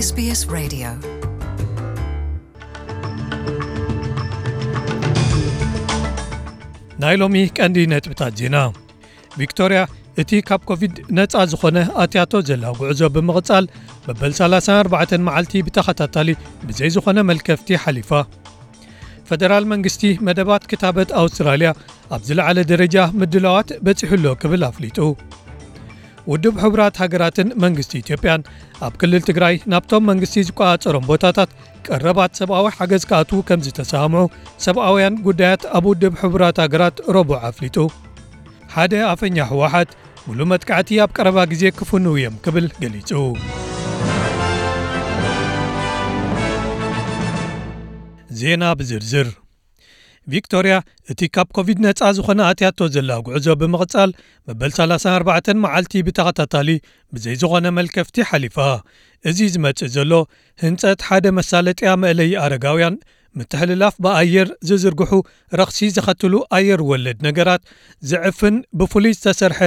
SBS Radio. ናይ ሎሚ ቀንዲ ነጥብታት ዜና። ቪክቶርያ እቲ ካብ ኮቪድ ነጻ ዝኾነ ኣትያቶ ዘላ ጉዕዞ ብምቕጻል፣ መበል ሰላሳን ኣርባዕተን መዓልቲ ብተኸታታሊ ብዘይ ዝኾነ መልከፍቲ ሓሊፋ። ፈደራል መንግስቲ መደባት ክታበት ኣውስትራልያ ኣብ ዝለዓለ ደረጃ ምድላዋት በጺሑ ኣሎ ክብል ኣፍሊጡ። ውድብ ሕቡራት ሃገራትን መንግስቲ ኢትዮጵያን ኣብ ክልል ትግራይ ናብቶም መንግስቲ ዝቆጻጸሮም ቦታታት ቀረባት ሰብኣዊ ሓገዝ ክኣትዉ ከም ዝተሰማምዑ ሰብኣውያን ጉዳያት ኣብ ውድብ ሕቡራት ሃገራት ረቡዕ ኣፍሊጡ። ሓደ ኣፈኛ ህወሓት፣ ሙሉእ መጥቃዕቲ ኣብ ቀረባ ግዜ ክፍንዉ እዮም ክብል ገሊጹ። ዜና ብዝርዝር። ቪክቶርያ እቲ ካብ ኮቪድ ነጻ ዝኾነ ኣትያቶ ዘላ ጉዕዞ ብምቕጻል፣ መበል ሰላሳን ኣርባዕተን መዓልቲ ብተኸታታሊ ብዘይ ዝኾነ መልከፍቲ ሓሊፋ። እዚ ዝመጽእ ዘሎ ህንጸት ሓደ መሳለጥያ መእለዪ ኣረጋውያን፣ ምትሕልላፍ ብኣየር ዝዝርግሑ ረኽሲ ዘኸትሉ ኣየር ወለድ ነገራት ዝዕፍን ብፍሉይ ዝተሰርሐ፣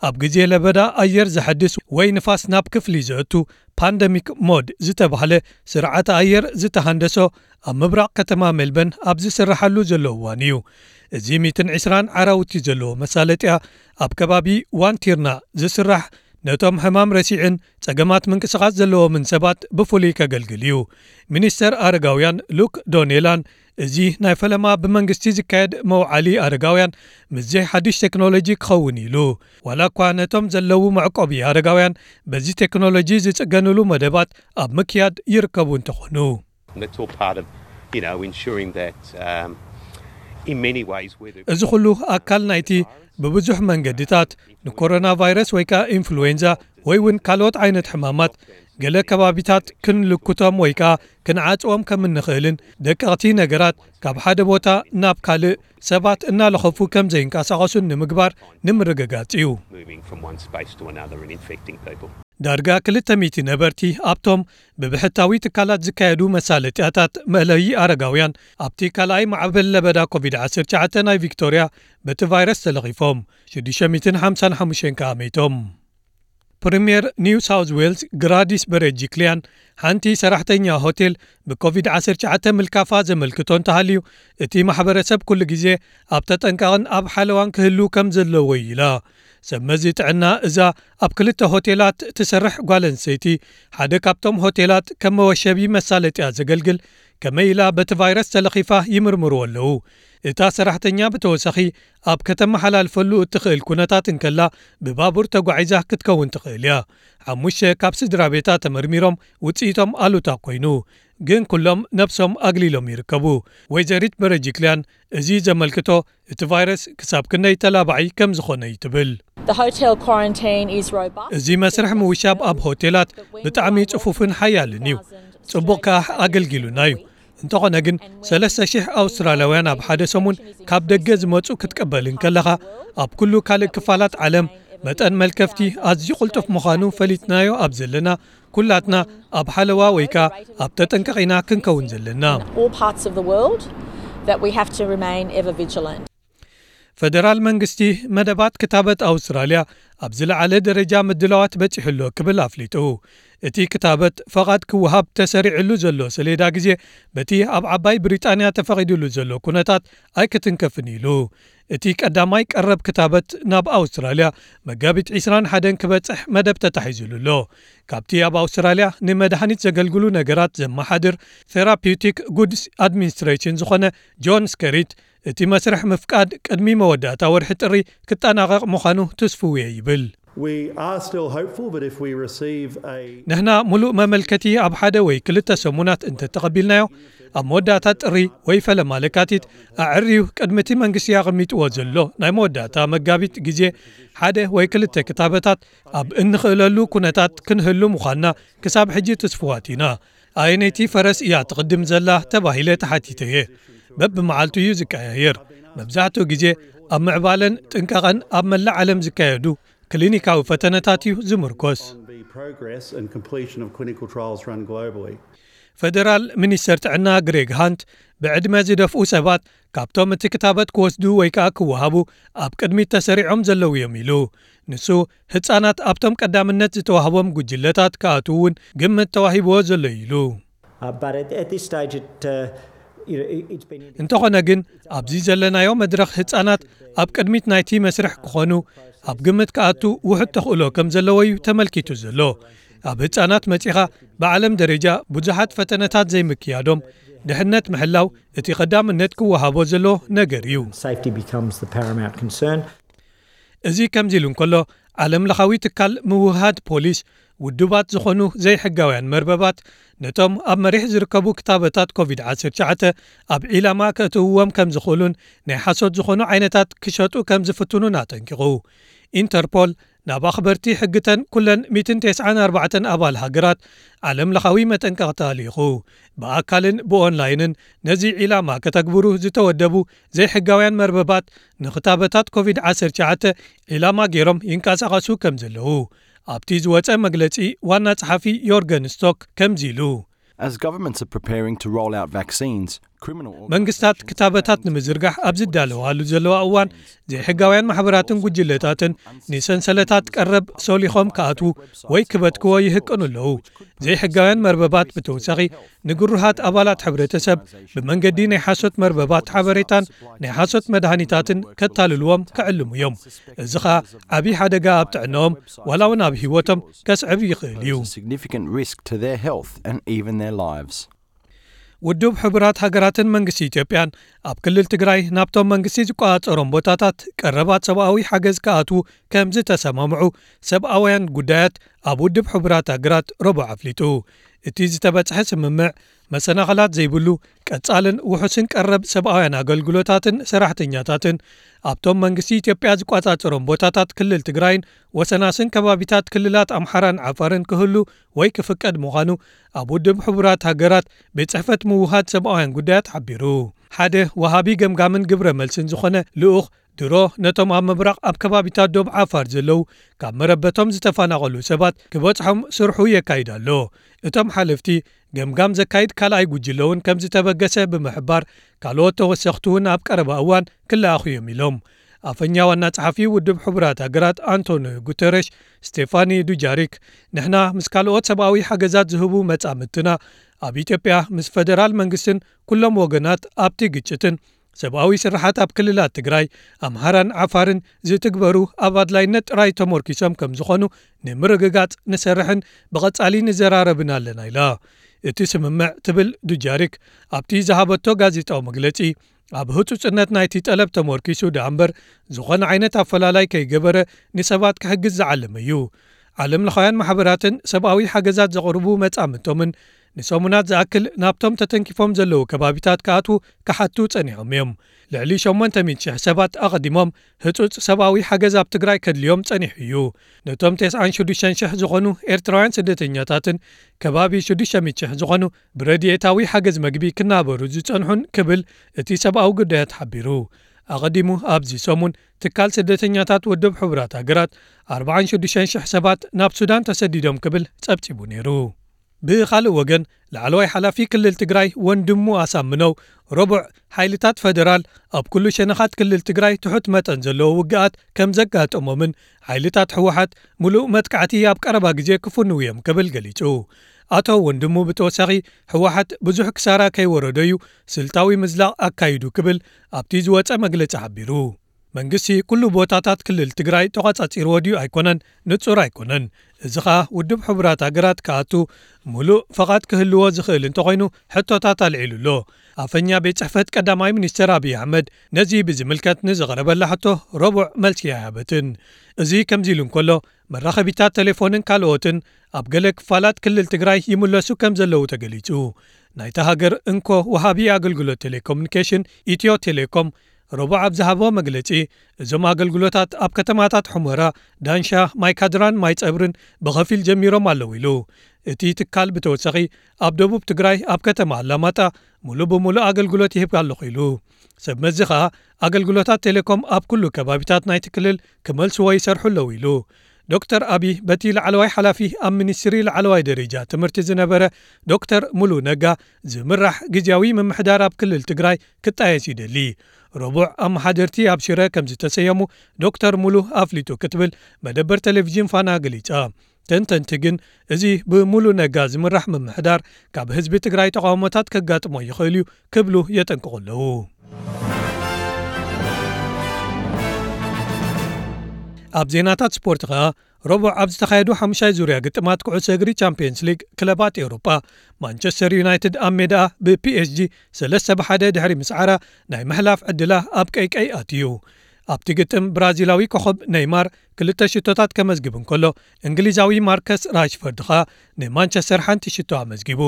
ኣብ ግዜ ለበዳ ኣየር ዘሐድስ ወይ ንፋስ ናብ ክፍሊ ዘእቱ ፓንደሚክ ሞድ ዝተባህለ ስርዓተ ኣየር ዝተሃንደሶ፣ ኣብ ምብራቕ ከተማ ሜልበርን ኣብ ዝስርሓሉ ዘሎ እዋን እዩ። እዚ ሚእትን ዕስራን ዓራውቲ ዘለዎ መሳለጥያ ኣብ ከባቢ ዋንቲርና ዝስራሕ፣ ነቶም ሕማም ረሲዕን ጸገማት ምንቅስቓስ ዘለዎምን ሰባት ብፍሉይ ከገልግል እዩ። ሚኒስተር ኣረጋውያን ሉክ ዶኔላን፣ እዚ ናይ ፈለማ ብመንግስቲ ዝካየድ መውዓሊ ኣረጋውያን ምስዚ ሓድሽ ቴክኖሎጂ ክኸውን ኢሉ። ዋላ እኳ ነቶም ዘለዉ መዕቆቢ ኣረጋውያን በዚ ቴክኖሎጂ ዝጽገንሉ መደባት ኣብ ምክያድ ይርከቡ እንተኾኑ። And that's all part of, you know, ensuring that, um, in many ways, whether እዚ ኩሉ ኣካል ናይቲ ብብዙሕ መንገድታት ንኮሮና ቫይረስ ወይ ከኣ ኢንፍሉዌንዛ ወይ እውን ካልኦት ዓይነት ሕማማት ገለ ከባቢታት ክንልኩቶም ወይ ከኣ ክንዓጽዎም ከም እንኽእልን ደቀቕቲ ነገራት ካብ ሓደ ቦታ ናብ ካልእ ሰባት እናለኸፉ ከም ዘይንቀሳቐሱን ንምግባር ንምርግጋጽ እዩ። Moving from one space to another and infecting people. ዳርጋ ክልተ ሚእቲ ነበርቲ ኣብቶም ብብሕታዊ ትካላት ዝካየዱ መሳለጥያታት መእለዪ ኣረጋውያን ኣብቲ ካልኣይ ማዕበል ለበዳ ኮቪድ ዓሰርተ ትሽዓተ ናይ ቪክቶርያ በቲ ቫይረስ ተለኺፎም፣ ሽዱሽተ ሚእትን ሓምሳን ሓሙሽተን ከኣ መይቶም። ፕሪምየር ኒው ሳውዝ ዌልስ ግራዲስ በረጅክሊያን ሓንቲ ሰራሕተኛ ሆቴል ብኮቪድ ዓሰርተ ትሽዓተ ምልካፋ ዘመልክቶ እንተሃልዩ፣ እቲ ማሕበረሰብ ኩሉ ግዜ ኣብ ተጠንቀቕን ኣብ ሓለዋን ክህሉ ከም ዘለዎ እዩ ኢላ። ሰብ መዚ ጥዕና እዛ ኣብ ክልተ ሆቴላት ትሰርሕ ጓል ኣንስተይቲ፣ ሓደ ካብቶም ሆቴላት ከም መወሸቢ መሳለጥያ ዘገልግል፣ ከመይ ኢላ በቲ ቫይረስ ተለኺፋ ይምርምርዎ ኣለዉ። እታ ሰራሕተኛ ብተወሳኺ ኣብ ከተመሓላልፈሉ እትኽእል ኩነታት እንከላ ብባቡር ተጓዒዛ ክትከውን ትኽእል እያ። ሓሙሽተ ካብ ስድራ ቤታ ተመርሚሮም ውጽኢቶም ኣሉታ ኮይኑ፣ ግን ኩሎም ነብሶም ኣግሊሎም ይርከቡ። ወይዘሪት በረጅክልያን እዚ ዘመልክቶ እቲ ቫይረስ ክሳብ ክንደይ ተላባዒ ከም ዝኾነ እዩ ትብል። The hotel quarantine is robust. እዚ መስርሕ ምውሻብ ኣብ ሆቴላት ብጣዕሚ ጽፉፍን ሓያልን እዩ። ጽቡቕ ከኣ ኣገልጊሉና እዩ። እንተኾነ ግን ሰለስተ ሽሕ ኣውስትራልያውያን ኣብ ሓደ ሰሙን ካብ ደገ ዝመጹ ክትቅበል እንከለኻ፣ ኣብ ኩሉ ካልእ ክፋላት ዓለም መጠን መልከፍቲ ኣዝዩ ቅልጡፍ ምዃኑ ፈሊጥናዮ ኣብ ዘለና፣ ኩላትና ኣብ ሓለዋ ወይ ከኣ ኣብ ተጠንቀቕ ኢና ክንከውን ዘለና። All parts of the world that we have to remain ever vigilant. ፈደራል መንግስቲ መደባት ክታበት ኣውስትራልያ ኣብ ዝለዓለ ደረጃ ምድላዋት በጺሑ ኣሎ ክብል ኣፍሊጡ። እቲ ክታበት ፈቓድ ክወሃብ ተሰሪዕሉ ዘሎ ሰሌዳ ግዜ በቲ ኣብ ዓባይ ብሪጣንያ ተፈቒዱሉ ዘሎ ኩነታት ኣይክትንከፍን ኢሉ። እቲ ቀዳማይ ቀረብ ክታበት ናብ ኣውስትራልያ መጋቢት ዕስራን ሓደን ክበጽሕ መደብ ተታሒዙሉ ኣሎ። ካብቲ ኣብ ኣውስትራልያ ንመድሃኒት ዘገልግሉ ነገራት ዘመሓድር ቴራፒውቲክ ጉድስ ኣድሚኒስትሬሽን ዝኾነ ጆን ስከሪት፣ እቲ መስርሕ ምፍቃድ ቅድሚ መወዳእታ ወርሒ ጥሪ ክጠናቐቕ ምዃኑ ትስፍው እየ ይብል። We are still hopeful that if we receive a ንሕና ሙሉእ መመልከቲ ኣብ ሓደ ወይ ክልተ ሰሙናት እንተተቐቢልናዮ፣ ኣብ መወዳእታ ጥሪ ወይ ፈለማ ለካቲት ኣዕርዩ ቅድሚ እቲ መንግስቲ ኣቐሚጥዎ ዘሎ ናይ መወዳእታ መጋቢት ግዜ ሓደ ወይ ክልተ ክታበታት ኣብ እንኽእለሉ ኩነታት ክንህሉ ምዃንና ክሳብ ሕጂ ትስፍዋት ኢና። ኣየነይቲ ፈረስ እያ ትቕድም ዘላ ተባሂለ ተሓቲተ እየ። በብመዓልቱ እዩ ዝቀያየር። መብዛሕትኡ ግዜ ኣብ ምዕባለን ጥንቃቐን ኣብ መላእ ዓለም ዝካየዱ ክሊኒካዊ ፈተነታት እዩ ዝምርኮስ። on the progress and completion of clinical trials run globally. ፈደራል ሚኒስተር ጥዕና ግሬግ ሃንት፣ ብዕድመ ዝደፍኡ ሰባት ካብቶም እቲ ክታበት ክወስዱ ወይ ከኣ ክወሃቡ ኣብ ቅድሚት ተሰሪዖም ዘለዉ እዮም ኢሉ። ንሱ፣ ህጻናት ኣብቶም ቀዳምነት ዝተዋህቦም ጉጅለታት ክኣትዉ እውን ግምት ተዋሂብዎ ዘሎ እዩ ኢሉ። Uh, but at, at this stage, it, uh, you know, it- it's been እንተኾነ ግን፣ ኣብዚ ዘለናዮ መድረኽ ህጻናት ኣብ ቅድሚት ናይቲ መስርሕ ክኾኑ ኣብ ግምት ክኣቱ ውሑድ ተኽእሎ ከም ዘለዎ እዩ ተመልኪቱ ዘሎ። ኣብ ህጻናት መጺኻ፣ ብዓለም ደረጃ ብዙሓት ፈተነታት ዘይምክያዶም፣ ድሕነት ምሕላው እቲ ቀዳምነት ክወሃቦ ዘሎ ነገር እዩ። Safety becomes the paramount concern. እዚ ከምዚ ኢሉ እንከሎ፣ ዓለም ለኻዊ ትካል ምውህሃድ ፖሊስ፣ ውዱባት ዝኾኑ ዘይሕጋውያን መርበባት ነቶም ኣብ መሪሕ ዝርከቡ ክታበታት ኮቪድ ዓሰርተ ትሽዓተ ኣብ ዒላማ ከእትውዎም ከም ዝኽእሉን ናይ ሓሶት ዝኾኑ ዓይነታት ክሸጡ ከም ዝፍትኑን ኣጠንቂቑ። ኢንተርፖል ናብ ኣኽበርቲ ሕግተን ኩለን ሚእትን ተስዓን ኣርባዕተን ኣባል ሃገራት ዓለም ለኻዊ መጠንቀቕታ ልኢኹ። ብኣካልን ብኦንላይንን ነዚ ዒላማ ከተግብሩ ዝተወደቡ ዘይሕጋውያን መርበባት ንክታበታት ኮቪድ ዓሰርተ ትሽዓተ ዒላማ ገይሮም ይንቀሳቐሱ ከም ዘለዉ ኣብቲ ዝወጸ መግለጺ ዋና ጸሓፊ ዮርገን ስቶክ ከምዚ ኢሉ። As governments are preparing to roll out vaccines, criminal መንግስታት ክታበታት ንምዝርጋሕ ኣብ ዝዳለዋሉ ዘለዋ እዋን፣ ዘይሕጋውያን ማሕበራትን ጉጅለታትን ንሰንሰለታት ቀረብ ሶሊኾም ክኣትዉ ወይ ክበትክዎ ይህቅኑ ኣለዉ። ዘይሕጋውያን መርበባት ብተወሳኺ ንግሩሃት ኣባላት ሕብረተሰብ ብመንገዲ ናይ ሓሶት መርበባት ሓበሬታን ናይ ሓሶት መድሃኒታትን ከታልልዎም ክዕልሙ እዮም። እዚ ኸኣ ዓብዪ ሓደጋ ኣብ ጥዕናኦም ዋላ እውን ኣብ ህይወቶም ከስዕብ ይኽእል እዩ። Significant risk to their health and even their lives. ውድብ ሕቡራት ሃገራትን መንግስቲ ኢትዮጵያን ኣብ ክልል ትግራይ ናብቶም መንግስቲ ዝቆጻጸሮም ቦታታት ቀረባት ሰብኣዊ ሓገዝ ክኣትዉ ከም ዝተሰማምዑ ሰብኣውያን ጉዳያት ኣብ ውድብ ሕቡራት ሃገራት ረቡዕ ኣፍሊጡ። እቲ ዝተበጽሐ ስምምዕ መሰናኸላት ዘይብሉ ቀጻልን ውሑስን ቀረብ ሰብኣውያን ኣገልግሎታትን ሰራሕተኛታትን ኣብቶም መንግስቲ ኢትዮጵያ ዝቆጻጸሮም ቦታታት ክልል ትግራይን ወሰናስን ከባቢታት ክልላት ኣምሓራን ዓፋርን ክህሉ ወይ ክፍቀድ ምዃኑ ኣብ ውድብ ሕቡራት ሃገራት ቤት ጽሕፈት ምውሃድ ሰብኣውያን ጉዳያት ሓቢሩ። ሓደ ወሃቢ ገምጋምን ግብረ መልስን ዝኾነ ልኡኽ ድሮ ነቶም ኣብ ምብራቕ ኣብ ከባቢታት ዶብ ዓፋር ዘለዉ ካብ መረበቶም ዝተፈናቐሉ ሰባት ክበጽሖም ስርሑ የካይድ ኣሎ። እቶም ሓለፍቲ ገምጋም ዘካይድ ካልኣይ ጉጅለ እውን ከም ዝተበገሰ ብምሕባር ካልኦት ተወሰኽቲ እውን ኣብ ቀረባ እዋን ክለኣኹ እዮም ኢሎም። ኣፈኛ ዋና ጸሓፊ ውድብ ሕቡራት ሃገራት ኣንቶኒዮ ጉተረሽ ስቴፋኒ ዱጃሪክ፣ ንሕና ምስ ካልኦት ሰብኣዊ ሓገዛት ዝህቡ መጻምድትና ኣብ ኢትዮጵያ ምስ ፈደራል መንግስትን ኩሎም ወገናት ኣብቲ ግጭትን ሰብኣዊ ስርሓት ኣብ ክልላት ትግራይ፣ ኣምሃራን ዓፋርን ዝትግበሩ ኣብ ኣድላይነት ጥራይ ተመርኪሶም ከም ዝኾኑ ንምርግጋጽ ንሰርሕን ብቐጻሊ ንዘራረብን ኣለና ኢላ። እቲ ስምምዕ ትብል ዱጃሪክ ኣብቲ ዝሃበቶ ጋዜጣዊ መግለጺ ኣብ ህጹጽነት ናይቲ ጠለብ ተመርኪሱ ደኣ እምበር ዝኾነ ዓይነት ኣፈላላይ ከይገበረ ንሰባት ክሕግዝ ዝዓለመ እዩ። ዓለም ለኻውያን ማሕበራትን ሰብኣዊ ሓገዛት ዘቕርቡ መጻምድቶምን ንሰሙናት ዝኣክል ናብቶም ተተንኪፎም ዘለዉ ከባቢታት ክኣትዉ ክሓቱ ጸኒሖም እዮም። ልዕሊ ሸሞንተ ሚእቲ ሽሕ ሰባት ኣቐዲሞም ህጹጽ ሰብኣዊ ሓገዝ ኣብ ትግራይ ከድልዮም ጸኒሑ እዩ። ነቶም ተስዓን ሽዱሽተን ሽሕ ዝኾኑ ኤርትራውያን ስደተኛታትን ከባቢ ሽዱሽተ ሚእቲ ሽሕ ዝኾኑ ብረድኤታዊ ሓገዝ መግቢ ክናበሩ ዝጸንሑን ክብል እቲ ሰብኣዊ ጉዳያት ሓቢሩ። ኣቐዲሙ ኣብዚ ሰሙን ትካል ስደተኛታት ውድብ ሕቡራት ሃገራት ኣርባዓን ሽዱሽተን ሽሕ ሰባት ናብ ሱዳን ተሰዲዶም ክብል ጸብጺቡ ነይሩ። ብኻልእ ወገን ላዕለዋይ ሓላፊ ክልል ትግራይ ወንድሙ ኣሳምነው ረቡዕ ሓይልታት ፈደራል ኣብ ኩሉ ሸነኻት ክልል ትግራይ ትሑት መጠን ዘለዎ ውግኣት ከም ዘጋጠሞምን ሓይልታት ህወሓት ምሉእ መጥቃዕቲ ኣብ ቀረባ ግዜ ክፍንዉ እዮም ክብል ገሊጹ። ኣቶ ወንድሙ ብተወሳኺ ህወሓት ብዙሕ ክሳራ ከይወረዶ እዩ ስልታዊ ምዝላቕ ኣካይዱ ክብል ኣብቲ ዝወጸ መግለጺ ሓቢሩ። መንግስቲ ኩሉ ቦታታት ክልል ትግራይ ተቋጻጺርዎ ድዩ ኣይኮነን ንጹር ኣይኮነን። እዚ ኸኣ ውድብ ሕቡራት ሃገራት ክኣቱ ምሉእ ፈቓድ ክህልዎ ዝኽእል እንተኾይኑ ሕቶታት ኣልዒሉ ኣሎ። ኣፈኛ ቤት ጽሕፈት ቀዳማይ ሚኒስተር ኣብይ ኣሕመድ ነዚ ብዝምልከት ንዝቐረበላ ሕቶ ረቡዕ መልሲ ኣይሃበትን። እዚ ከምዚ ኢሉ እንከሎ መራኸቢታት ቴሌፎንን ካልኦትን ኣብ ገለ ክፋላት ክልል ትግራይ ይምለሱ ከም ዘለዉ ተገሊጹ። ናይታ ሃገር እንኮ ወሃቢ ኣገልግሎት ቴሌኮሙኒኬሽን ኢትዮ ቴሌኮም ረቡዕ ኣብ ዝሃቦ መግለጺ እዞም ኣገልግሎታት ኣብ ከተማታት ሑመራ፣ ዳንሻ፣ ማይካድራን ማይጸብርን ብኸፊል ጀሚሮም ኣለዉ ኢሉ። እቲ ትካል ብተወሳኺ ኣብ ደቡብ ትግራይ ኣብ ከተማ ኣላማጣ ሙሉእ ብሙሉእ ኣገልግሎት ይህብ ኣለኹ ኢሉ። ሰብ መዚ ኸኣ ኣገልግሎታት ቴሌኮም ኣብ ኩሉ ከባቢታት ናይቲ ክልል ክመልስዎ ይሰርሑ ኣለዉ ኢሉ። ዶክተር ኣቢ በቲ ላዕለዋይ ሓላፊ ኣብ ሚኒስትሪ ላዕለዋይ ደረጃ ትምህርቲ ዝነበረ ዶክተር ሙሉ ነጋ ዝምራሕ ግዝያዊ ምምሕዳር ኣብ ክልል ትግራይ ክጣየስ ይደሊ። ረቡዕ ኣመሓደርቲ ኣብ ሽረ ከም ዝተሰየሙ ዶክተር ሙሉ ኣፍሊጡ ክትብል መደበር ቴሌቪዥን ፋና ገሊጻ። ተንተንቲ ግን እዚ ብሙሉ ነጋ ዝምራሕ ምምሕዳር ካብ ህዝቢ ትግራይ ተቃውሞታት ከጋጥሞ ይኽእል እዩ ክብሉ የጠንቅቑ ኣለዉ። ኣብ ዜናታት ስፖርት ኸኣ ረቡዕ ኣብ ዝተኻየዱ ሓሙሻይ ዙርያ ግጥማት ኩዕሶ እግሪ ቻምፒየንስ ሊግ ክለባት ኤውሮጳ ማንቸስተር ዩናይትድ ኣብ ሜዳኣ ብፒኤስጂ ሰለስተ ብሓደ ድሕሪ ምስዓራ ናይ ምሕላፍ ዕድላ ኣብ ቀይቀይ ኣትዩ። ኣብቲ ግጥም ብራዚላዊ ኮኸብ ኔይማር ክልተ ሽቶታት ከመዝግብ እንከሎ እንግሊዛዊ ማርከስ ራሽፈርድ ኸኣ ንማንቸስተር ሓንቲ ሽቶ ኣመዝጊቡ።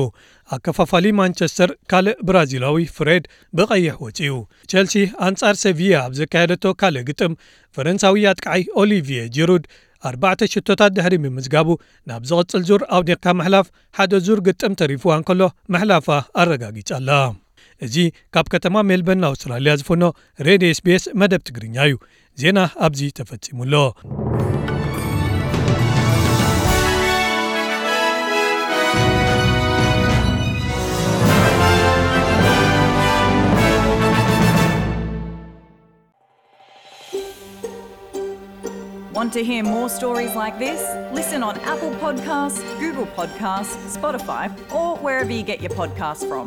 ኣከፋፋሊ ማንቸስተር ካልእ ብራዚላዊ ፍሬድ ብቐይሕ ወጺኡ። ቸልሲ ኣንጻር ሰቪያ ኣብ ዘካየደቶ ካልእ ግጥም ፈረንሳዊ ኣጥቃዓይ ኦሊቪየ ጂሩድ ኣርባዕተ ሽቶታት ድሕሪ ምምዝጋቡ ናብ ዝቕጽል ዙር ኣውዲቕካ ምሕላፍ ሓደ ዙር ግጥም ተሪፍዋ እንከሎ ምሕላፋ ኣረጋጊጻ ኣላ። እዚ ካብ ከተማ ሜልበርን ኣውስትራልያ ዝፍኖ ሬድዮ ኤስቢኤስ መደብ ትግርኛ እዩ። ዜና ኣብዚ ተፈጺሙ ኣሎ። Want to hear more stories like this? Listen on Apple Podcasts, Google Podcasts, Spotify, or wherever you get your podcasts from.